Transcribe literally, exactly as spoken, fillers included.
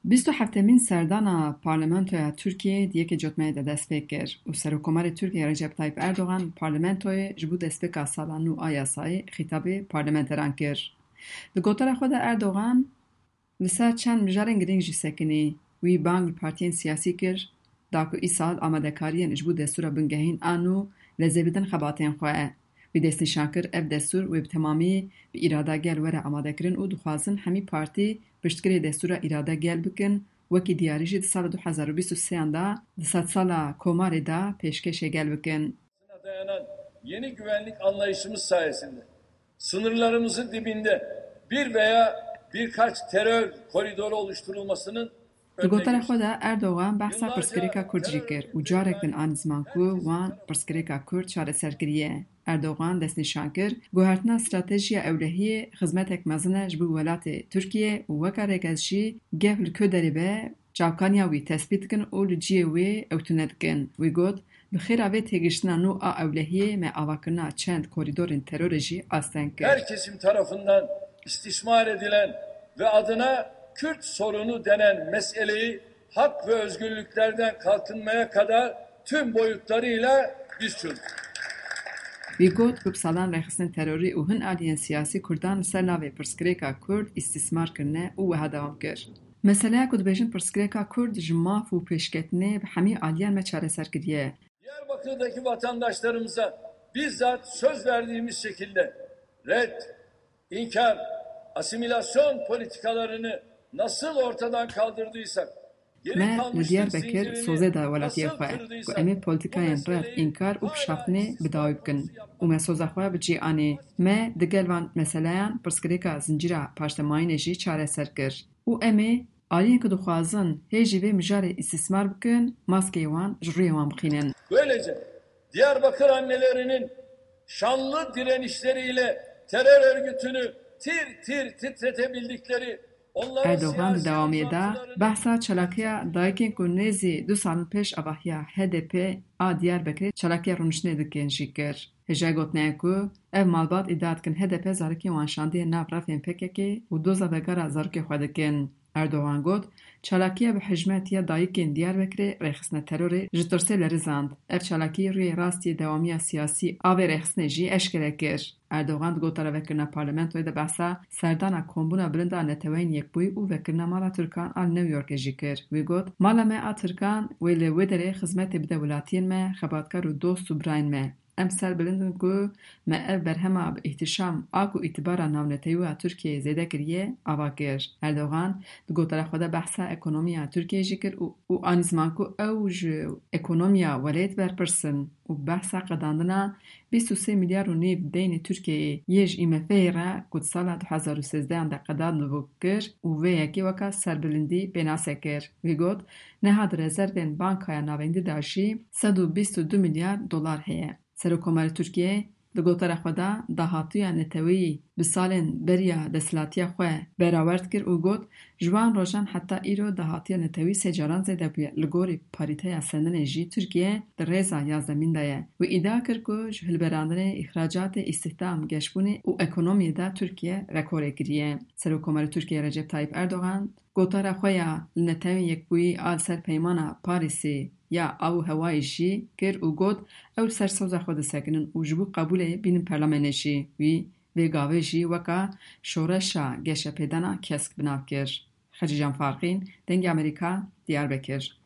Bîst û heftemîn serdana Parlamentoya Tirkiyeyê di yekê Cotmehê de dest pê kir û Serokkomarê Tirkiyeyê Recep Tayyip Erdogan parlamentoyê ji bo destpêka sala nû a yasayê xîtabê parlamenteran kir. Di gotara xwe de Erdogan li ser çend mijarên girîng jî sekinî. Wî bang li partiyên siyasî kir, da ku îsal amadekariyên ji bo destûra bingehîn a nû lezê bidin xebatên xwe. Wî destnîşan kir, ev destûr wê bi temamî bi îrada gel were amadekirin û dixwazin hemî partî piştgirê destûra îrade gel bikin, wekî diyarî jî di sala du hezar û bîst û sêyan de di sedsala Komarê de pêşkêşê gel bikin. dayanan yeni güvenlik anlayışımız sayesinde sınırlarımızın dibinde bir veya birkaç terör koridoru oluşturulmasının Di gotara xwe de Erdogan behsa pirsgirêka Kurd jî kir û carek din anî ziman ku wan pirsgirêka Kurd çareser kiriye. Erdogan destnîşan kir, guhertina stratejiya ewlehiyê xizmetek mezin e ji bo welatê Tirkiyê û weke rêkez jî gef li ku derê be, çavkaniya wî tespît dikin û li cihê wê ew tune dikin. Wî got, bi xêra vê têgiştina nû a ewlehiyê me avakirina çend korîdorên terorê jî asteng kir. Her kesim tarafından istismar edilen ve adına Kürt sorunu denen meseleyi hak ve özgürlüklerden kalkınmaya kadar tüm boyutlarıyla biz çözdük. Wî got ku bi salan rêxistinên terorî û hin aliyên siyasî Kurdan li ser navê pirsgirêka Kurd îstîsmar kirine û wiha dewam kir, meseleya ku dibêjin pirsgirêka Kurd ji maf û pêşketinê bi hemî aliyan me çareser kiriye. Diyarbakır'daki vatandaşlarımıza bizzat söz verdiğimiz şekilde red, inkar, asimilasyon politikalarını nasıl ortadan kaldırdıysak, Me li Diyarbekir sozê da welatiyê xwe ku em ê polîtikayên red, înkar û pişaftinê bi dawî bikin û me soza xwe bi cî anî. Me digel van meseleyan pirsgirêka zincîra paştemayînê jî çareser kir û em ê aliyên ku dixwazin hê jî vê mijarê îstîsmar bikin, maskeyê wan ji rûyê wan bixînin. Böylece Diyarbakır annelerinin şanlı direnişleriyle terör örgütünü tir tir titretebildikleri Erdogan di dewamiyê de behsa çalakiya dayikên ku nêzî du salin pêş avahiya H D P a Diyarbekirê çalakiya rûniştinê dikin jî kir. Hêjayî gotinê ye ku ev malbat îdia dikin H D P zarokên wan şandiye nav refên P K K û doza vegera zarokê xwe dikin. Erdogan got, çalakiya bi hijmet ya dayikên Diyarbekirê rêxistine terorê ji tirsê lerizand. Ev çalakî rûyê rast yê dewamiya siyasî a vê rêxistinê jî eşkere kir. Erdogan di gotara vekirina parlamentoyê de behsa serdana Kombûna Bilind a Neteweyên Yekbûyî û vekirina Mala Tirkan a li New Yorkê jî kir. Wî got, Mala me a Tirkan wê li wê derê xizmetê bide welatiyên me, xebatkar û dost û birayên me. Em serbilind in ku me ev berhema bi îhtîşam a ku îtibara navnetewî ya Tirkiyeyê zêde kiriye, ava kir. Erdogan di gotara xwe de behsa ekonomiya Tirkiyeyê jî kir û û anî ziman ku ew ji ekonomiya welêt berpirs in û behsa qedandina bîst û sê milyar û nîv deynê Tirkiyeyê yê ji IMF'ê re ku di sala du hezar û sêzdehan de qedandibû kir û vê yekê weka serbilindî pênase kir. Wî got, niha di rezervên Bankaya Navendî de jî sed û bîst û du milyar dolar heye. Serokkomarê Tirkiyeyê di gotara xwe de dahatiya neteweyî bi salên beriya desthilatiya xwe berawerd kir û got, Ji wan rojan heta îro dahatiya netewî sê caran zêde bûye. Li gorî parîteya sendinê jî Tirkiye di rêza yazdemîn de ye. Wî îdia kir ku ji hilberandinê, îxracatê, îstihdam, geşbûnê û ekonomiyê de Tirkiye rekorê kiriye. Serokkomarê Tirkiyeyê Recep Tayyip Erdogan gotara xwe ya li Netewên Yekbûyî a li ser Peymana Parîsê ya av û hewayê jî kir û got, Ew li ser soza xwe disekinin û ji bo qebûlê bînin perlemenê jî. Wî vê gavê jî weka şoreşa geşepêdana kesk bi nav kir. Xecîcan Farqîn, Dengê Amerîka, Diyarbekir.